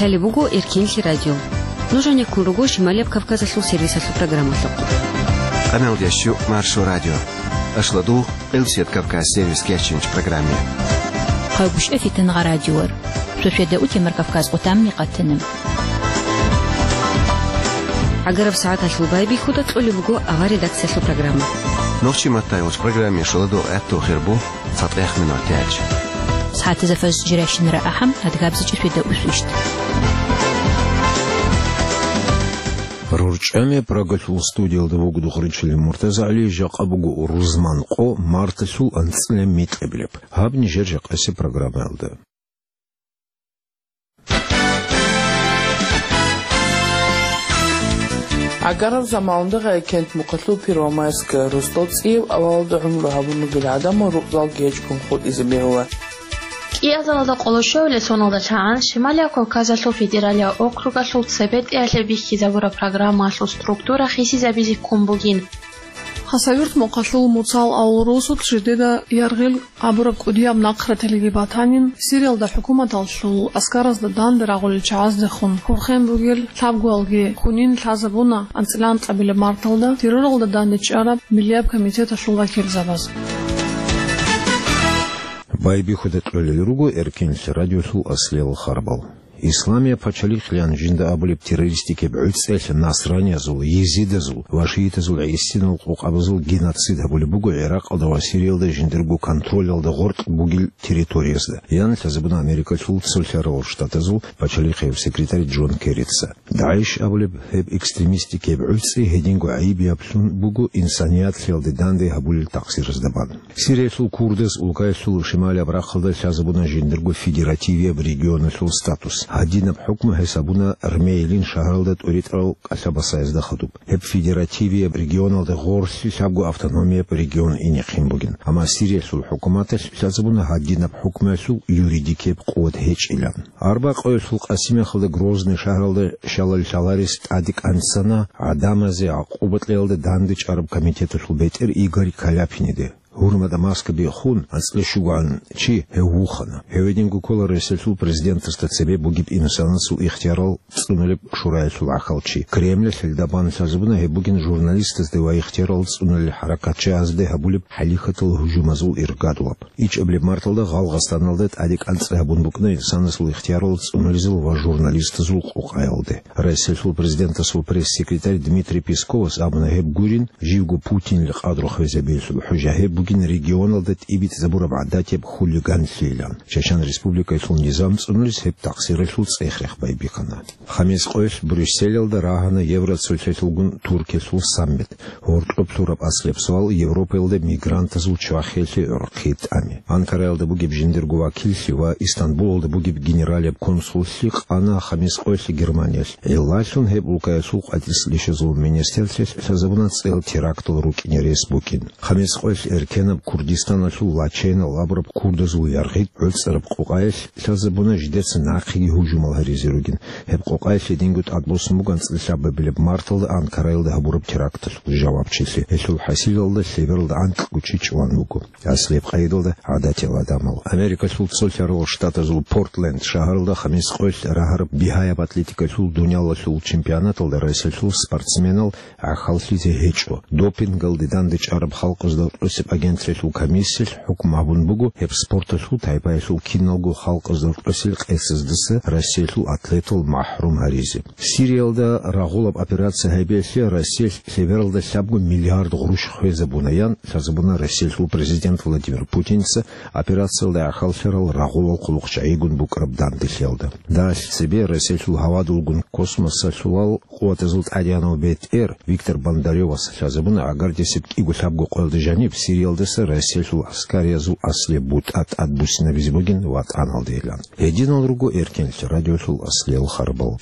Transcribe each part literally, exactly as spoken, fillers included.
Лъалеб буго Эркенлъи радио. Нуж гьанеккун руго Шималияб Кавказалъул сервисалъул программалъухъ. Къамелдещу Маршо радио. Ашлу дугъ Къилсият Кавказ сервис кечинч программе. Хъайгъушъа фитангъа радиор. Шошеда утемар Кавказ къутамни къатана. Агараб сагӀаталъул байбихьуда кьолеб буго авар редакциялъул программа. Нохчи маттайгъуч программе шуладу гӀатту хирбу. Цадехъ минутач. СагӀатазда фаз жирайщинара ахӀам, адгабзичӀеб шведа усвищ. РорчӀами Прагалъул студиялда вугода Хъурчилин МуртазагӀали, жакъа буго рузман къо, марталъул анцӀила микьабилеб. Гьаб нижер жакъасеб программаялда. Агарал замалда Гъайкент мухъалъул Первомайская росдал цӀияб авалалда гӀумру гьабун ругел гӀадамал рукъзалги гьечӀгун хутӀизе бегьула. КӀиазаралда къоло щуабилеб соналда лъагӀан Шималияб Кавказалъул федералияб округалъул цебетӀиялъе бихьизабураб программаялъул структура хисизабизе ккун бугин. Хасавюрт мухъалъул Муцал авул росулъ жидеда яргъил абураб кӀудияб нахъраталги батанин, Сириялда хӀукуматалъул аскаразда данде рагъулел чагӀаздехун хурхен бугел лъабгоялги хунин лъазабуна анцӀила анкьабилеб марталда терроралда данде чӀараб Миллияб комитеталъул вакилзабаз. Байбихьуда кьолел руго Эркенлъи радиолъул аслиял харбал. Исламияб пачалихълъан жинда абулеб террористикаб гӀуцӀелъ насраниязул, езидазул ва шиитазул гӀисинал къокъабазул геноцид гьабулеб буго ГӀиракъалда ва Сириялда жиндирго контролалда гъоркь бугел территориязда, ян лъазабуна Америкалъул Цолъарал Штатазул пачалихъияб секретарь Джон Керрица. ДАГӀИШ абулеб гьеб экстремистикаб гӀуцӀи гьединго гӀайиб яблъун буго инсанияталъе данде гьабулел такъсиразда бан. Сириялъул курдаз улкаялъул шималияб рахъалда лъазабуна жиндирго федеративияб регионалъул статус. Гьадинаб хӀукму гьесабуна Рмейлин шагьаралда тӀуритӀарал кӀалъабасаязда хадуб. Гьеб федеративияб регионалда гъорлъи лъабго автономияб регион инехъин бугин. Амма Сириялъул хӀукуматалъ лъазабуна гьадинаб хӀукмуялъул юридикияб къуват гьечӀилан. Арбакъоялъул къасимахалда Грозный шагьаралда щалал-щаларес тӀаде кӀанцана гӀадамазе гӀакъуба кьеялда данде чӀараб комитеталъул бетӀер Игорь Каляпиниде. Гьурмада маска биххун, анцӀила щугоан чи гьев вухана. Гьев гьединго ккола Россиялъул президентасда цебе бугеб инсанасул ихтиярал цӀунулеб шураялъул гӀахьалчи. Кремлалъ гьелда бан лъазабуна гьеб бугин журналистазде ва ихтиярал цӀунулел хӀаракатчагьазде гьабулеб хӀалихьатал гьужумазул иргадулаб. ИчӀабилеб марталда Гъалгъастаналда тӀаде кӀанцӀи гьабун букӀана инсанасул ихтиярал цӀунулезул ва журналистазул къокъаялде. Россиялъул президентасул пресс-секретарь Дмитрий Песковас абуна гьеб гурин, живго Путинил къадру хвезабиялъул хӀужа гьеб бугин регионалда тӀибитӀизабураб гӀадатияб хулиганлъийилан. Чечен Республикаялъул низам цӀунулес гьеб такъсиралъул цӀех-рех байбихьана. Хамис къоялъ Брюсселалда рагьана Евроцолъалъулгун Туркиялъул саммит. Гьоркьоб лъураб аслияб суал Европаялда мигрантазул чвахиялъе гӀорхъи тӀами. Анкараялда бугеб жиндирго вакиллъи ва Истанбулалда бугеб генералияб консуллъи къана Хамис къоялъ Германиялъ. Гьелдалъун гьеб улкаялъул къватӀирс лъишазул министрлъи лъазабуна цӀел терактал рукӀине рес букӀин. Хамис къоялъ эркенаб Курдистаналъул Лаченал абураб курдазул яргъи гӀуцӀараб къокъаялъ лъазабуна жидеца нахъеги гьужумал гьаризе ругин. Гьеб къокъаялъ гьединго тӀадбуссун буго анцӀила лъабабилеб марталда Анкараялда гьабураб теракталъул жавабчилъи. Гьелъул хӀасилалда лъебералда анкьго чи чӀван вуго. Аслияб къайдалда гӀадатиял гӀадамал. Америкалъул Цолъарал Штатазул Портленд шагьаралда Хамис къоялъ рагьараб бигьаяб атлетикалъул дуниялалъул чемпионаталда Россиялъул спортсменал гӀахьаллъизе гьечӀо. Допингалде данде чӀараб халкъазда рокьосеб агенталъул комиссиялъ хӀукму гьабун буго гьеб спорталъул тайпаялъул киналго халкъазда рокьосел къецаздаса Россиялъул атлетал махӀрум гьаризе. Сириялда рагъулаб операция гьабиялъе Россиялъ лъебералда лъабго миллиард гъурущ хвезабуна, ян лъазабуна Россиялъул президент Владимир Путинца операциялда гӀахьаллъарал рагъулал хъулухъчагӀигун букӀараб данделъиялда. Дагьалъ цебе Россиялъул гьавадулгун космосалъулал къуватазул тӀадегӀанав бетӀер Виктор Бондарёвас лъазабуна гӀагардесеб кӀиго-лъабго къоялда жаниб Сириялдаса Россиялъул гӀаскариязул аслияб бутӀа тӀадбуссинабизе бугин ватӀаналдейилан. Гьединал руго Эркенлъи радиолъул аслиял харбал.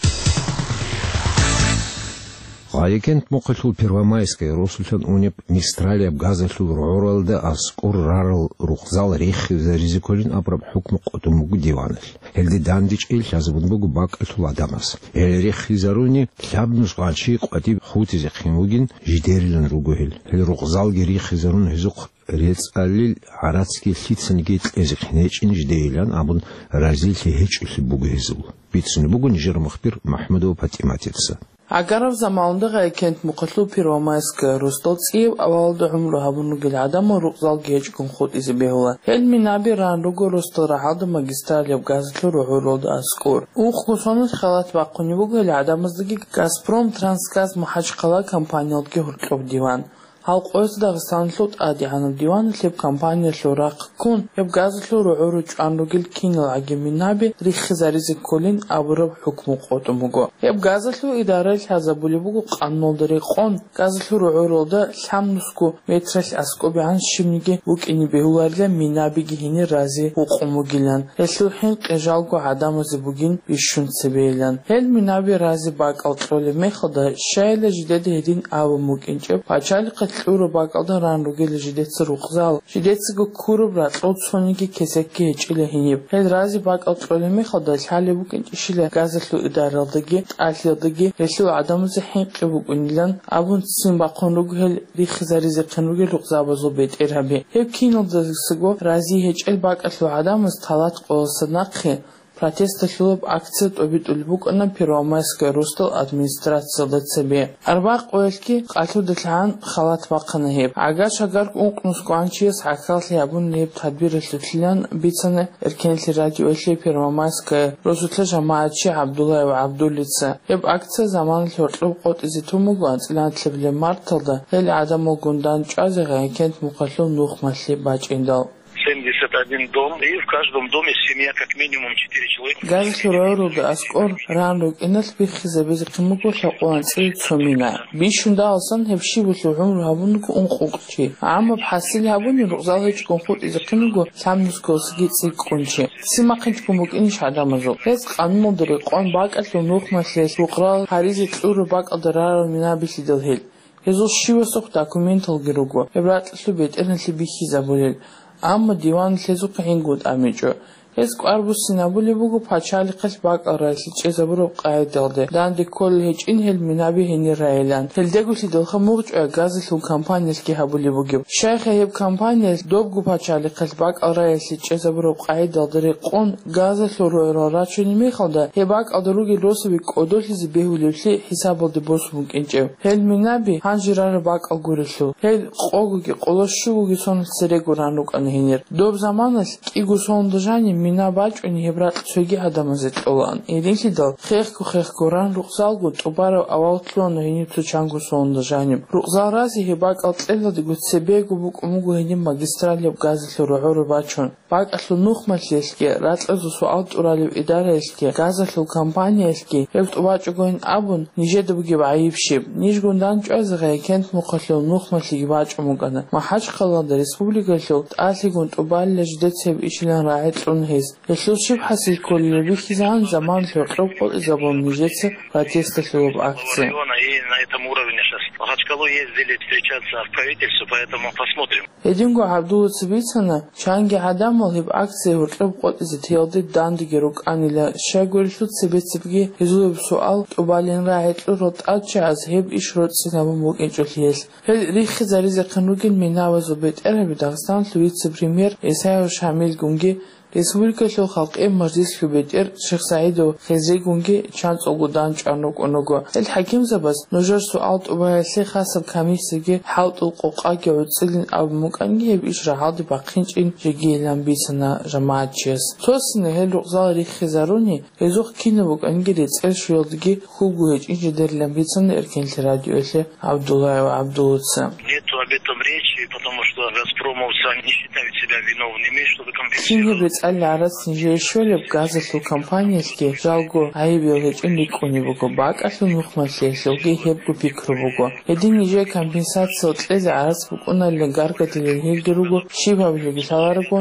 Гъайикент мухъалъул Первомайская росулъан унеб Мистралияб газалъул рогӀоралда аскӀор рарал рукъзал риххизаризе кколин абураб хӀукму къотӀун буго диваналъ. Гьелде дандечӀей лъазабун буго бакӀалъул гӀадамаз. Гьел риххизаруни, лъабнус гъанчи къватӀиб хутӀизехъин вугин жидерилан руго гьел. Гьел рукъзалги риххизарун, гьезухъ рецӀалил гӀарацги лъицаниги кьезехъин гьечӀин жидейилан абун, разилъи гьечӀолъи буго гьезул. Бицунеб буго нижер мухбир МахӀмудова ПатӀиматица. Агарав заманалда Гъайикент мухъалъул Первомайская росдал цӀияб авалалда гӀумру гьабун ругел гӀадамал рукъзалги гьечӀгун хутӀизе бегьула. Гьел минаби ран руго росдал рагӀалда магистралияб газалъул рогӀоралда аскӀор. Ункъго соналъ халат бахъунеб буго гьел гӀадамаздаги «Газпром Трансгаз Махачкала» компаниялдги гьоркьоб диван. Гьал къоялъ Дагъистаналъул тӀадегӀанаб диваналъ гьеб компаниялъул рахъ ккун, гьеб газалъул рогӀоро чӀван ругел кинал гӀаги минаби риххизаризе кколин абураб хӀукму къотӀун буго. Гьеб газалъул идаралъ лъазабулеб буго къануналда рекъон, газалъул рогӀоралда лъабнусго метралъ аскӀобегӀан щибниги букӀине бегьуларила минабиги гьенир рази гьукъун бугилан. Гьелъул хӀинкъи жалго гӀадамазе бугин бищун цебейилан. Гьел минаби рази бакӀал кьолеб мехалда, щайила жидеда гьедин абун букӀинчӀеб, пачалихъе кьураб бакӀалда ран ругела жидеца рукъзал, жидецаго ккураб ракьул цониги кесекги гьечӀила гьениб. Гьел рази бакӀал кьолеб мехалда, лъалеб букӀинчӀищила газалъул идаралдаги, тӀалъиялдаги гьелъул гӀадамазе хӀинкъи букӀунилан абун ццин бахъун руго гьел риххизаризехъин ругел рукъзабазул бетӀергьаби. Гьеб киналдасаго рази гьечӀел бакӀалъул гӀадамаз талат къоялдаса нахъе протесталъулаб акция тӀобитӀулеб букӀана Первомайская росдал администрациялда цебе. Арбагъ къоялъги къалъудалъ гӀан халат бахъана гьеб. ГӀагар-шагар ункънус гьанчияс гӀахьаллъи гьабун гьеб тадбиралъулъилан бицана Эркенлъи радиоялъе Первомайская росулъа жамагӀатчи ГӀабдуллаев ГӀабдуллица. Гьеб акция заманалъ гьоркьоб къотӀизе тун буго анцӀила нилъабилеб марталда гьел гӀадамалгун дандчӀвазе Гъайикент мухъалъул нухмалъи бачӀиндал. Семьдесят один дом, и в каждом доме семья как минимум четыре человека. Газалъул рогӀоралда аскӀор ран рукӀиналъ биххизабизехъин буго лъабкъоялда анцӀила цо мина. Бищун дагьалсан гьеб щибалъул гӀумру гьабун руго ункъ-ункъ чи. ГӀаммаб хӀасил гьабуни рукъзал гьечӀгун хутӀизехъин буго лъабнусгоялдасаги цӀикӀкӀун чи. Ццин бахъинчӀого букӀинищ гӀадамазул? Гьез къануналда рекъон, бакӀалъул нухмалъиялъ рукъзал гьаризе кьураб бакӀалда рарал минабилъидал гьел. Гьезул щивасухъ документалги руго, гьеб ракьалъул бетӀералъе бихьизабулел, амма диван гьезухъе гӀингун тӀамичӀо. Гьез кӀвар буссинабулеб буго пачалихъалъ бакӀал раялъе чӀезабураб къагӀидалде, данде кколел гьечӀин гьел минаби гьенир райилан. Гьелдеголъидалха мугъчӀвай газалъул компаниялъги гьабулеб бугеб. Щайха гьеб компаниялъ добго пачалихъалъ бакӀал раялъе чӀезабураб къагӀидалда рекъон газалъул рогӀорал рачунеб мехалда, гьеб бакӀалда ругел росаби кӀодолъизе бегьулеблъи хӀисабалде босун букӀинчӀеб. Гьел минаби гьанже рараб бакӀал гурелъул, гьел къогоги къоло щугоги соналъ церего ран рукӀана гьенир. Доб заманалъ кӀиго соналда жаниб мина бачӀунеб гьеб ракь цоги гӀадамазе кьолаан. Гьединлъидал хехго-хехго ран рукъзалго тӀубараб авал лъугьана гьениб цо чанго соналда жаниб. Рукъзал рази гьеб бакӀал кьелалдего цебего букӀун буго гьениб магистралияб газалъул рогӀоро бачун. БакӀалъул нухмалъиялъги, ракьазул суал тӀуралев идараялъги, газалъул компаниялъги гьеб тӀубачӀогойин абун, нижеда бугеб гӀайиб щиб? Нижгун дандчӀвазе Гъайикент мухъалъул нухмалъиги бачӀун букӀана. МахӀачхъалада республикалъул тӀалъигун тӀубалила жидеца гьеб ишилан рагӀи кьуна гьез. Гьелъул щиб хӀасил кколеб бихьизегӀан заманалъ гьоркьоб къотӀизабун нижеца протесталъулаб акция. Района и на этом уровне сейчас. Махачкалу ездили встречаться в правительство, поэтому посмотрим. Гьединго ГӀабдуллаца бицана, чанги гӀадамал гьеб акция гьоркьоб къотӀизе теялде дандеги рукӀанила, щайгурелъул цебе-цебеги гьезул гьеб суал тӀубалин рагӀи кьурал тӀадчагӀаз гьеб иш роцӀцӀинабун букӀинчӀолъиялъ. Гьел риххизаризехъин ругел минабазул бетӀергьаби Дагъистаналъул вице-премьер Исаев Шамилгунги, республикалъул халкъиял мажлислъул бетӀер Шихсагьидов Хизригунги чанцӀулго дандчӀван рукӀун руго. Гьел хӀакимзабаз нужер суал тӀубаялъе хасаб комиссияги хӀалтӀул къокъаги гӀуцӀилин абун букӀанги, гьеб иш рагӀалде бахъинчӀин жегийилан бицана жамагӀатчияс. Цо-цонизе гьел рукъзал риххизаруни, гьезухъ кинаб букӀанги рецӀел щвеялдеги хьулго гьечӀин жидерилан бицана Эркенлъи радиоялъе ГӀабдуллаев ГӀабдуллаца. Нету об этом речи, потому что газпромовцы, они не считают себя виновными, чтобы компенсировать. Кин гьеб рецӀалил гӀарац нижее щолеб газалъул компаниялъги жалго гӀайибиял гьечӀин рикӀкӀунеб буго, бакӀалъул нухмалъиялъулги гьебго пикру буго. Гьедин нижее компенсация кьезе гӀарац букӀуналилан гаргадилел гьелги руго, щиб гьабилебги лъаларого,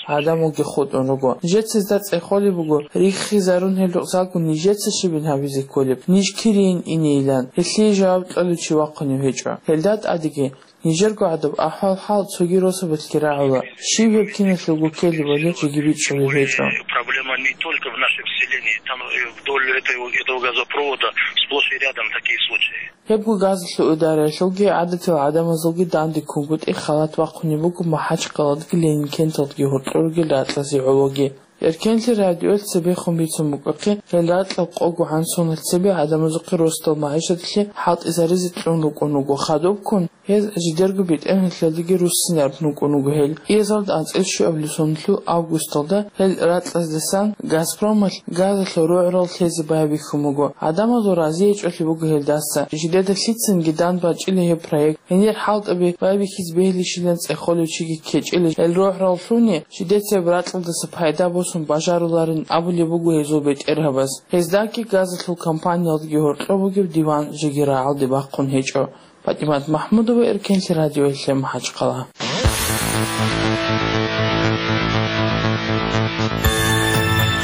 гӀадамалги хутӀун руго. Нижеца гьезда цӀехолеб буго, риххизарун гьел рукъзалго нижеца щибин гьабизе кколеб, ниж кирийин инейилан. Гьелъие жаваб кьолев чи вахъунев гьечӀо. Гьелда тӀадеги, нижерго гӀадаб ахӀвал-хӀал цоги росабалъги рагӀула. Щиб гьеб киналъулго ккелебали жеги бичӀчӀулеб гьечӀо. Проблема не только в нашем селении, там, э, вдоль этого, этого газопровода сплошь и рядом такие случаи. Гьебго газалъул идараялъулги гӀадатиял гӀадамазулги дандеккунгутӀи халат бахъунеб буго МахӀачхъаладаги Ленинкенталдаги гьоркьор ругел ракьазе гӀологи. Эркенлъи радиоялъ цебехун бицун букӀахъе, гьел ракьал къого гӀан соналъ цебе гӀадамазухъе росдал магӀишаталъе хӀалтӀизаризе кьун рукӀун руго. Хадубккун гьез жидерго бетӀергьанлъиялдаги руссинараб рукӀун руго гьел. Кьезалда анцӀила щуабилеб соналъул августалда гьел ракьаздасан Газпромалъ газалъул рогӀрал лъезе байбихьун буго. ГӀадамазул разиячӀолъи буго гьелдаса. Жидеда лъицанги дандбачӀила гьеб проект. Гьенир хӀалтӀаби байбихьизе бегьилищилан цӀехолев чиги ккечӀила гьел рогӀрал лъуни, жидеца гьеб ракьалдаса пайда босун бажаруларин абулеб буго гьезул бетӀергьабаз. Гьездаги газалъул компаниялдаги гьоркьоб бугеб диван жеги рагӀалде бахъун гьечӀо. ПатӀимат МахӀмудова, Эркенлъи радиоялъе, МахӀачхъала.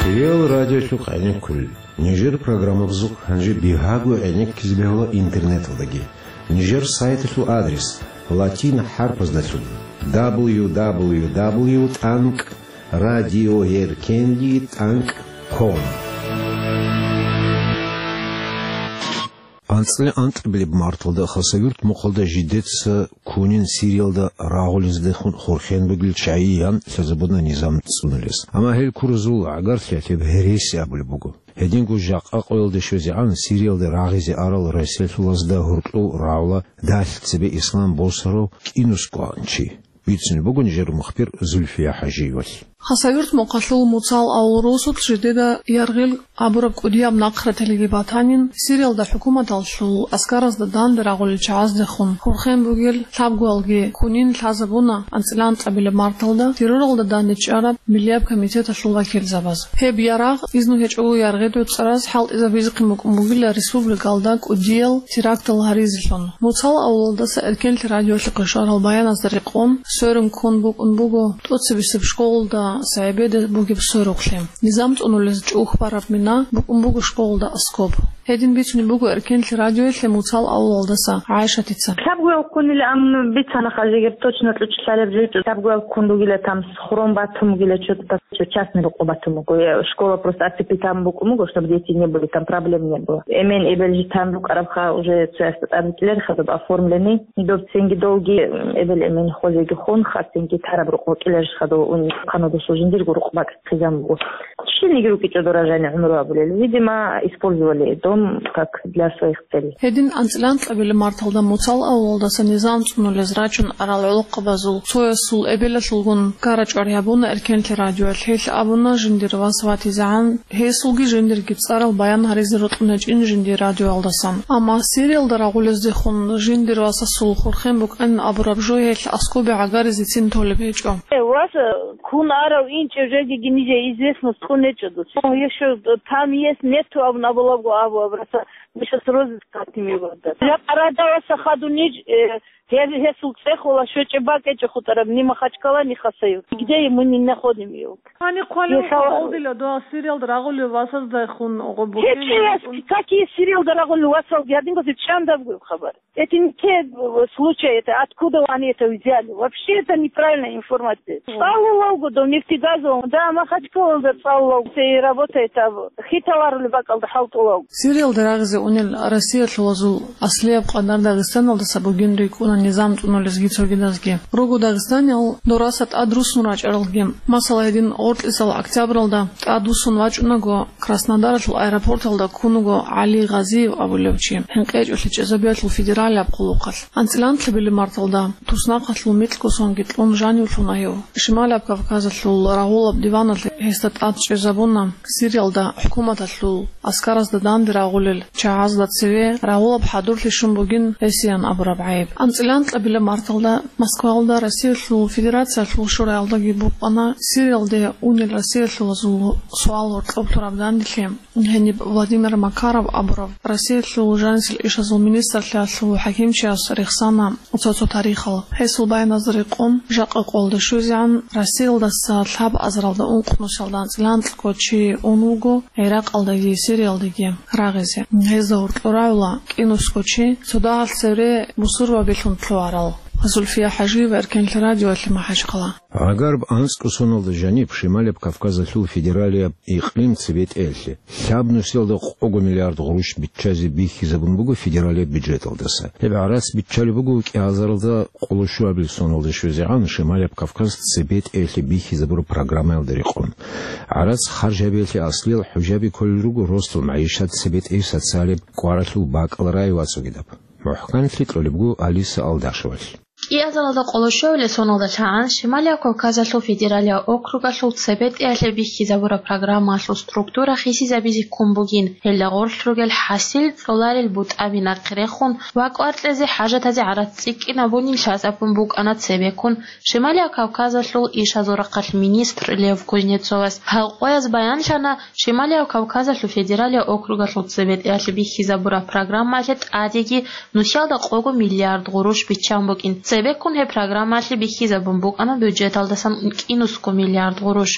Цоял радиолъухъ гӀенеккулел. Нижер программабазухъ гьанже бигьаго гӀенеккизе бегьула интернеталдаги. Нижер сайталъул адрес латин хӀарпаздалъун: дабл ю дабл ю дабл ю тӀанкӀ радиоэркенлъи тӀанкӀ ком. АнцӀила анкьабилеб марталда Хасавюрт мухъалда жидеца кунин Сириялда рагъулездехун хурхен бугел чагӀи ян лъазабуна низам цӀунулес. Амма гьел куразул гӀагарлъиялъе гьереси абулеб буго. Гьединго жакъа къоялде щвезегӀан Сириялда рагъизе арал Россиялъулазда гьоркьов рагӀула далъ цебе ислам босарав кӀинусго чи. Бицунеб буго нижер мухбир Зульфия ХӀажиевалъ. Хасавюрт мухъалъул Муцал авул росулъ жидеда Яргъил абураб кӀудияб нахъраталиги батанин, Сириялда хӀукуматалъул аскаразда данде рагъулел чагӀаздехун хурхен бугел лъабгоялги кунин лъазабуна анцӀила анкьабилеб марталда терроралда данде чӀараб Миллияб комитеталъул вакилзабаз. Гьеб ярагъ изну гьечӀого Яргъил реццараз хӀалтӀизабизехъин букӀун бугила республикалда кӀудиял терактал гьаризелъун. Муцал авлалдаса Эркенлъи радиолъухъе щварал баяназда рекъон, сверун ккун букӀун буго тӀоцебесеб школалда СагӀибеде бугеб сверухълъи. Низам цӀунулез чӀухь бараб мина букӀун буго школалда аскоб. Гьедин бицунеб буго Эркенлъи радиоялъе Муцал авлалдаса ГӀайшатица. Лъабгоял ккунилан бицана хъа жегер точно кьучӀлъалеб жо, лъабгоял ккун ругила там, хурон батун бугила чо-, частный рукъу батун буго. Э, школа просто оцепить там букӀун буго, чтобы дети не были, там проблем не было. Эмен эбел житан рукӀарабха уже цоясда тӀад кьеларха доб оформленный. Доб цинги долги, м, эбел эмен хозеги хон, хасинги тараб рукъу кьеларха доб ун хъанудусул жиндирго рукъ бакӀ хъизан буго. Щиниги рукӀичӀо дора жани гӀумру абулел. Видимо, использовали дом как для своих целей. Гьедин анцӀила анкьабилеб марталда Муцал авлалдаса низам цӀунулез рачун арал гӀолохъабазул цоясул эбелалъулгун ккара чӀвар гьабуна Эркенлъи радиоялъ. Гьелъ абуна жиндир вас ватизегӀан, гьесулги жиндирги цӀарал баян гьаризе рокьун гьечӀин жиндир радиоялдасан. Амма Сириялда рагъулездехун жиндир васасул хурхен букӀанин абураб жо гьелъ аскобе гӀагаризецин толеб гьечӀо. Э, вас, э, ккун арав инчӀев жеги гьениб известность кьун гьечӀо дос. О, ещё там есть, нету абун абулаго абу абраса. Мы щас розыск хотим его отдать. Я парадаваса хадунич, э, гье-, гьесул цӀехола щвечӀеб бакӀ гьечӀо хутӀараб, ни Махачкала, ни Хасавюрт. Где мы не находим его? Гьаниб хъвалев Ешала. Къолдила дова Сириялда рагъулев васаздайхун гъо букӀин. Гьечи, какие Сириялда рагъулев васалги гьадин гьезул чандаб гуй хабар. Это не те, э, случаи, это откуда они это взяли? Вообще это неправильная информация. Мгм. ЦӀалулавго до нефтегазового, да, Махачкалалда цӀалулавго. Это и работает, а хиталарулеб бакӀалда хӀалтӀулавго. Сириялда рагъизе унел Россиялъулазул аслияб къадар Дагъистаналдаса бугин рикӀкӀуна низам цӀунулезги цогидазги. Руго дагъистаниял дораса тӀад руссун рачӀаралги. Масала, гьедин гъоркьисал октябралда тӀад вуссун вачӀунаго, Краснодаралъул аэропорталда ккун вуго ГӀали Гъазиев абулев чи, ХӀинкъичӀолъи чӀезабиялъул федералияб хъулухъалъ. АнцӀила анкьабилеб марталда туснахъалъул микьго сонги кьун жанивлъуна гьев. Шималаб Кавказалъул рагъулаб диваналъ гьесда тӀад чӀезабуна Сириялда хӀукуматалъул аскаразда данде рагъулел чагӀазда цеве рагъулаб хӀадурлъи щун бугин гьесиян абураб гӀайиб. АнцӀила анкьабилеб марталда Москваялда Россиялъул Федерациялъул шураялдаги букӀана Сириялде унел Россиялъулазул суал гьоркьоб лъураб данделъи. Гьениб Владимир Макаров абурав Россиялъул жанисел ишазул министрлъиялъул хӀакимчияс рехсана цо-цо тарихал. Гьесул баяназда рекъон, жакъа къолда щвезегӀан Россиялдаса лъабазаралда ункънусиялда анцӀила анкьго чи ун вуго ГӀиракъалдаги Сириялдаги рагъизе. Гьезда гьоркьор рагӀула кӀинусго чи, цо дагьал цевре бусурбабилъун лъугьарал. Зульфия ХӀажиева, Эркенлъи радиоялъе, МахӀачхъала. Гьагараб анцӀго соналда жаниб Шималияб Кавказалъул федералияб икълим цебетӀеялъе лъабнусиялда къого миллиард гъурущ биччазе бихьизабун буго федералияб бюджеталдаса. Гьеб гӀарац биччалеб буго кӀиазаралда къоло щуабил соналда щвезегӀан Шималияб Кавказ цебетӀеялъе бихьизабураб программаялда рекъон. ГӀарац харж гьабиялъе аслиял хӀужаби кколел руго ростал магӀишат, цебетӀей социалияб кӀваралъул бакӀал рай вацӀцӀугидаб. МухӀканлъи кьолеб буго Алиса Алдашевалъ. КӀиазаралда къоло щуабилеб соналда лъагӀан Шималияб Кавказалъул федералияб округалъул цебетӀеялъе бихьизабураб программаялъул структура хисизабизе ккун бугин, гьелда гъорлъ ругел хӀасил кьоларел бутӀаби нахъе рехун ва кӀвар кьезе хӀажатазе гӀарац цӀикӀкӀинабунин лъазабун букӀана цебеккун Шималияб Кавказалъул ишазул рахъалъ министр Лев Кузнецовас. Гьал къояз баянлъана Шималияб Кавказалъул федералияб округалъул цебетӀеялъе бихьизабураб программаялъе тӀадеги нусиялда къого миллиард гъурущ биччан букӀин. Цебеккун гьеб программаялъе бихьизабун букӀана бюджеталдасан кӀинусго миллиард гъурущ.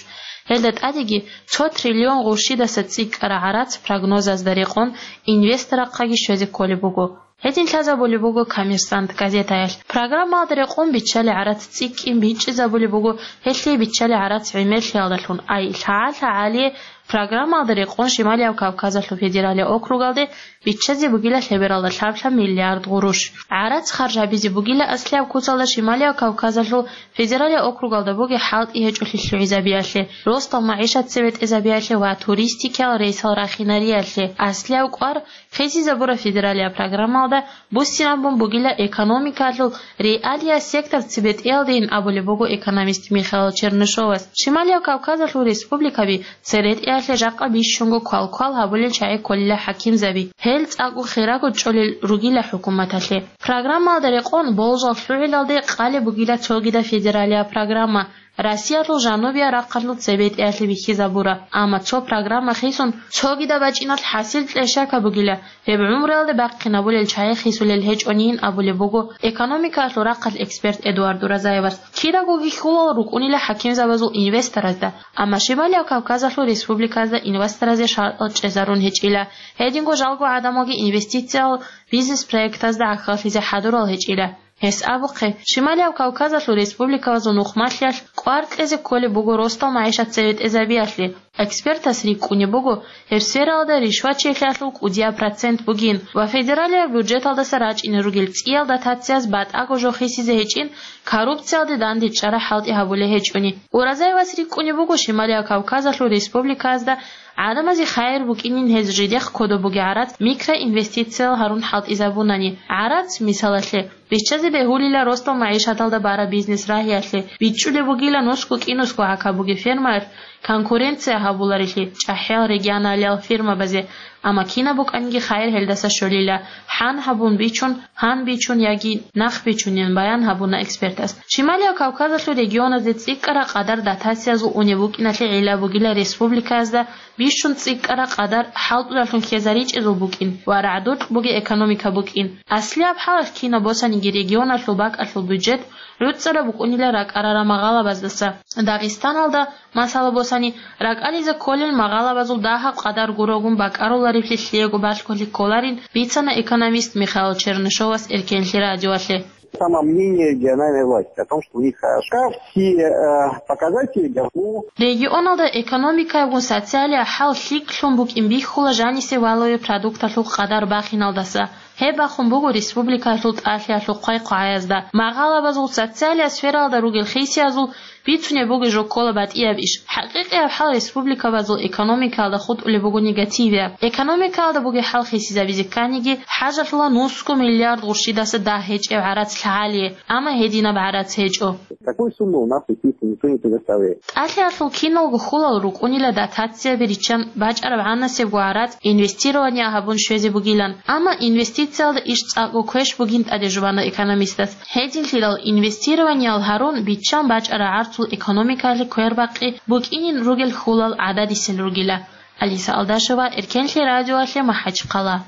Гьелда тӀадеги цо триллион гъурщидаса цӀикӀкӀараб гӀарац прогнозазда рекъон инвесторахъаги щвезе кколеб буго. Гьедин лъазабулеб буго «Коммерсант» газетаялъ. Программаялда рекъон биччалел гӀарац цӀикӀкӀин бичӀчӀизабулеб буго, гьелъие биччалел гӀарац гӀемерлъиялдалъун, ай лъагӀа-лъагӀалие программаялда рекъон Шималияб Кавказалъул федералияб округалде биччазе бугила лъебералда лъаб-лъаб миллиард гъурущ. ГӀарац харж гьабизе бугила аслияб куцалда Шималияб Кавказалъул федералияб округалда бугеб хӀалтӀи гьечӀолъи лъугӀизабиялъе, росдал магӀишат цебетӀезабиялъе ва туристикиял рейсал рахинариялъе. Аслияб кӀвар хисизабураб федералияб программаялда буссинабун бугила экономикаялъул реалияс сектор цебетӀеялдейин абулеб буго экономист Михаил Чернышовас. Шималияб Кавказалъул республикаби церетӀеялъе жакъа бищунго квалквал гьабулел чагӀи кколила хӀакимзаби. Гьел цӀакъго хирого чӀолел ругила хӀукуматалъе. Программаялда рекъон болжал лъугӀиналде къалеб бугила цогидаб федералияб программа, Россиялъул жанубияб рахъалъул цебетӀеялъе бихьизабураб. Амма цо программа хисун, цогидаб бачӀиналъ хӀасил кьешака бугила, гьеб гӀумруялде бахъинабулел чагӀи хисулел гьечӀонин абулеб буго экономикаялъул рахъалъ эксперт Эдуард Уразаевас. Кирагоги хьулал рукӀунила хӀакимзабазул инвесторазда, амма Шималияб Кавказалъул республиказда инвесторазе шартӀал чӀезарун гьечӀила. Гьединго жалго гӀадамалги инвестициял бизнес-проектазда гӀахьаллъизе хӀадурал гьечӀила. Гьес абухъе, Шималияб Кавказалъул республикабазул нухмалъиялъ кӀвар кьезе кколеб буго росдал магӀишат цеветӀезабиялъе. Экспертас рикӀкӀунеб буго, гьеб сфералда ришвачилъиялъул кӀудияб процент бугин ва федералияб бюджеталдаса рачӀине ругел цӀиял дотацияз батӀаго жо хисизе гьечӀин, коррупциялде дандечӀараб хӀалтӀи гьабулей гьечӀони. Уразаевас рикӀкӀунеб буго Шималияб Кавказалъул республикаязда гӀадамазе хайир букӀинин гьез жидехъ кодоб бугеб гӀарац микроинвестициял гьарун хӀалтӀизабунани. ГӀарац, мисалалъе, Биччазе бегьулила росдал магӀишаталда бараб бизнес-рагьиялъе, бичӀчӀулеб бугила нусго-кӀинусго гӀака бугеб фермаялъ конкуренция гьабуларелъи чӀахӀиял регионалиял фирмабазе, амма кинаб букӀаниги хайир гьелдаса щолила, хӀан гьабун бичун, гьан бичун яги нах бичунин баян гьабуна экспертас. Шималияб Кавказалъул регионазде цӀикӀкӀараб къадар дотациязул унеб букӀиналъе гӀилла бугила республикаязда бищун цӀикӀкӀараб къадар хӀалтӀулалъун хьезаричӀезул букӀин ва рагӀдукь бугеб экономика букӀин. Аслияб хӀалалъ кинаб босаниги регионалъул бакӀалъул бюджет гӀуцӀараб букӀунила ракӀарарал магъалабаздаса. Дагъистаналда, масала босани, ракӀализе кколел магъалабазул дагьаб къадар гурогун бакӀаруларевлъи лъиего балъголъи кколарин, бицана экономист Михаил Чернышовас Эркенлъи радиоялъе. Самомнение региональной власти о том, что у них хорошо. Все, э, показатели, ну, Регионалда экономикаябгун социалияб хӀал лъикӀлъун букӀин бихьула жанисе валаве продукталъул къадар бахиналдаса. Гьеб бахун буго республикалъул тӀалъиялъул хъвай-хъвагӀаязда. Магъалабазул социалияб сфералда ругел хисиязул бицунеб буго жо ккола батӀияб иш. ХӀакъикъияб хӀал республикабазул экономикаялда хутӀулеб буго негативияб. Экономикаялда бугеб хӀал хисизабизе кканиги, хӀажалъула нусго миллиард гъурщидаса дагь гьечӀеб гӀарац лъагӀалие, амма гьединаб гӀарац гьечӀо. Такой суммы у нас, естественно, никто не предоставляет. ТӀалъиялъул киналго хьулал рукӀунила дотацияби риччан бачӀараб гӀанасебго гӀарац инвестирование гьабун щвезе бугилан, амма инвестициялда иш цӀакъго квеш бугин тӀаде жубана экономистас. Гьединлъидал инвестированиял гьарун биччан бачӀараб гӀарцул экономикаялъе квербакъи букӀинин ругел хьулал гӀададисел ругила. Алиса Алдашева, Эркенлъи радиоялъе, МахӀачхъала.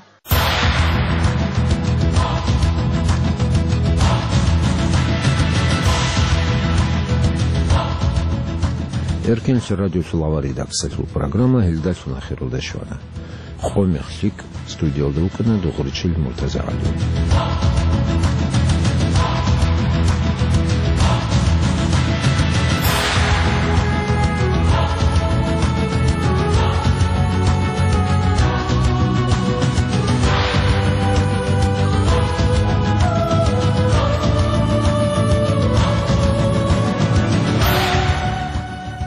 Эркенлъи радиоялъул авар редакциялъул программа гьелдалъун ахиралде щвана. Къо мех лъикӀ, студиялда вукӀана Дугъричил МуртазагӀали.